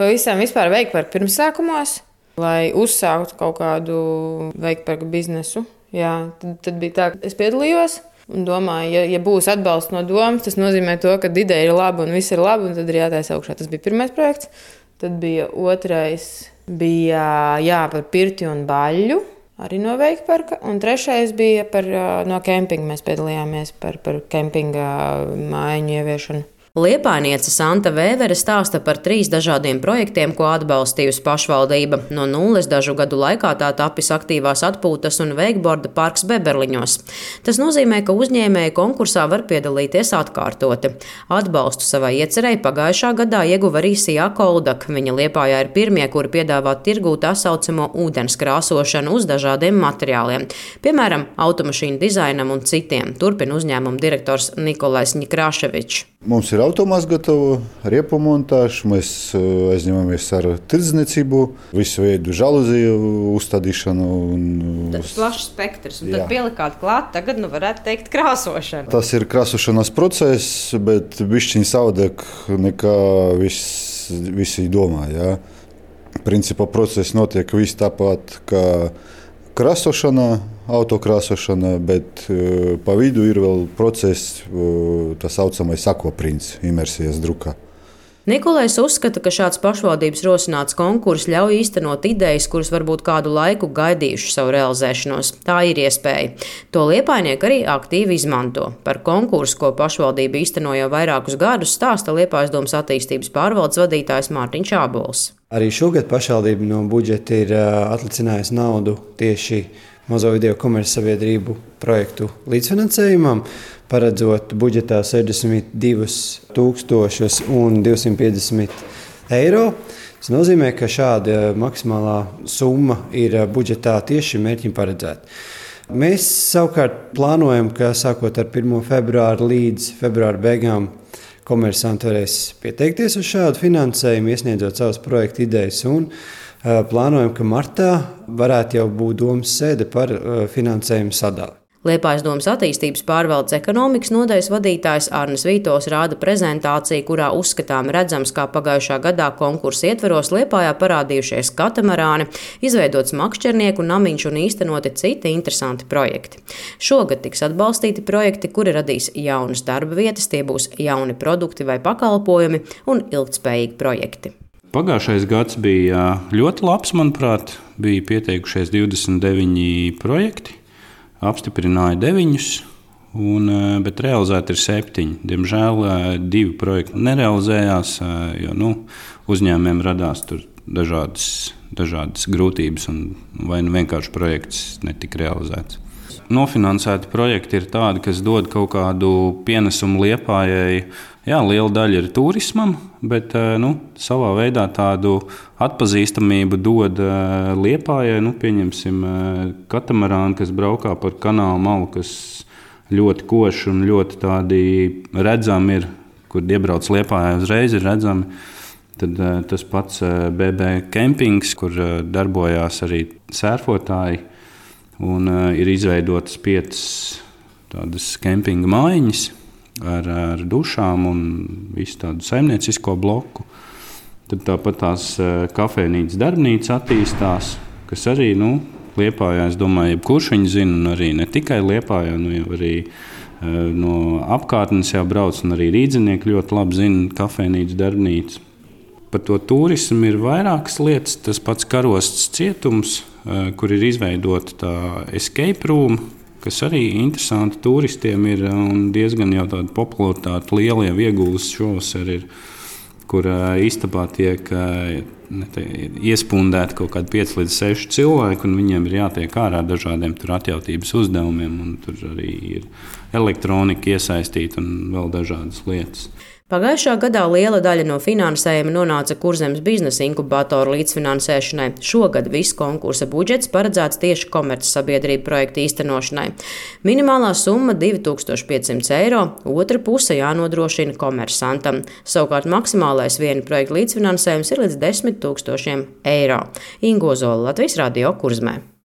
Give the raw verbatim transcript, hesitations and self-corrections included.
pavisam vispār veikparku pirmsākumos, lai uzsāktu kaut kādu veikparku biznesu. Jā, tad, tad bija tā, ka es piedalījos un domāju, ja, ja būs atbalsts no domas, tas nozīmē to, ka ideja ir laba un viss ir labi, un tad ir jātaisa augšā. Tas bija pirmais projekts. Tad bija otrais, bija jā, par pirti un baļļu. Arī no veikparka, un trešais bija par, no kempinga. Mēs piedalījāmies par, par kempinga mājiņu ieviešanu. Liepājniece Santa Vēvere stāsta par trīs dažādiem projektiem, ko atbalstījusi pašvaldība. No nulles dažu gadu laikā tā tapis aktīvās atpūtas un veikborda parks Beberliņos. Tas nozīmē, ka uzņēmēji konkursā var piedalīties atkārtoti. Atbalstu savai iecerei pagājušā gadā ieguva arī Sijā Koldak. Viņa Liepājā ir pirmie, kuri piedāvā tirgū tā saucamo ūdens krāsošanu uz dažādiem materiāliem. Piemēram, automašīnu dizainam un citiem. Turpina uzņēmuma direktors Nikolais Ņikrāševičs. Mums ir automāts gatava, riepu montāža, mēs aizņemamies ar tirdzniecību, visu veidu žaluziju uzstādīšanu. Tas plašs spektrs, un tad pielikāt klāt, tagad nu varētu teikt krāsošana. Tas ir krāsošanas process, bet bišķiņ savādāk nekā viss, visi domā. Jā. Principā process notiek viss tāpat kā krāsošana, autokrāsošana, bet uh, pa vidu ir vēl process, uh, tā saucamais akvaprints, imersijas drukā. Nikolais uzskata, ka šāds pašvaldības rosināts konkurss ļauj īstenot idejas, kuras varbūt kādu laiku gaidījuši savu realizēšanos. Tā ir iespēja. To liepājnieki arī aktīvi izmanto. Par konkursu, ko pašvaldība īsteno jau vairākus gadus, stāsta Liepājas domas attīstības pārvaldes vadītājs Mārtiņš Ābols. Arī šogad pašvaldība no budžeta ir atlicinājusi naudu tieši mazo video komercsabiedrību projektu līdzfinansējumam, paredzot budžetā sešdesmit divus tūkstošus divsimt piecdesmit eiro. Tas nozīmē, ka šāda maksimālā summa ir budžetā tieši šim mērķim paredzēta. Mēs savukārt plānojam, ka sākot ar pirmo februāru līdz februāra beigām komersanti varēs pieteikties uz šādu finansējumu, iesniedzot savas projekta idejas, un plānojam, ka martā varētu jau būt domas sēde par finansējumu sadali. Liepājas domas attīstības pārvaldes ekonomikas nodaļas vadītājs Arnis Vītols rāda prezentāciju, kurā uzskatām redzams, kā pagājušā gadā konkursa ietveros Liepājā parādījušies katamarāni, izveidots makšķernieku namiņš un īstenoti citi interesanti projekti. Šogad tiks atbalstīti projekti, kuri radīs jaunas darba vietas, tie būs jauni produkti vai pakalpojumi un ilgtspējīgi projekti. Pagājušais gads bija ļoti labs, manuprāt, bija pieteikušies divdesmit deviņi projekti. Apstiprināja deviņus, un, bet realizēti ir septiņi. Diemžēl divi projekti nerealizējās, jo nu, uzņēmējiem radās tur dažādas, dažādas grūtības, un vai nu vienkārši projekts netika realizēts. Nofinansēti projekti ir tādi, kas dod kaut kādu pienesumu Liepājai. Jā, liela daļa ir turismam, bet nu, savā veidā tādu atpazīstamību dod Liepājai. Nu, pieņemsim katamarāni, kas braukā par kanālu malu, kas ļoti koši un ļoti tādi redzami ir, kur iebrauc Liepājai uzreiz ir redzami. Tad tas pats B B kempings, kur darbojās arī sērfotāji, un ir izveidotas piecas tādas kempinga mājiņas ar, ar dušām un visu tādu saimniecisko bloku. Tad tāpat tās kafejnīcas darbnīca attīstās, kas arī, nu, Liepājā, es domāju, jebkurš viņu zina, un arī ne tikai Liepājā, nu, jau arī no apkārtnes jau brauc, un arī rīdzinieki ļoti labi zina kafejnīcas darbnīcu. Par to turismu ir vairākas lietas. Tas pats Karostas cietums, kur ir izveidota tā escape room, kas arī interesanti turistiem ir un diezgan jau tāda popularitāte liela jau iegūst šovasar ir, kur istabā tiek te, iespundēti kaut kādi pieci līdz seši cilvēki, un viņiem ir jātiek ārā dažādiem tur atjautības uzdevumiem, un tur arī ir elektronika iesaistīta un vēl dažādas lietas. Pagājušā gadā liela daļa no finansējuma nonāca Kurzemes biznesa inkubatoru līdzfinansēšanai. Šogad viss konkursa budžets paredzēts tieši komercsabiedrību projektu īstenošanai. Minimālā summa divi tūkstoši piecsimt eiro, otra puse jānodrošina komersantam. Savukārt maksimālais viena projekta līdzfinansējums ir līdz desmit tūkstošiem eiro. Ingo Zola, Latvijas radio, Kurzemē.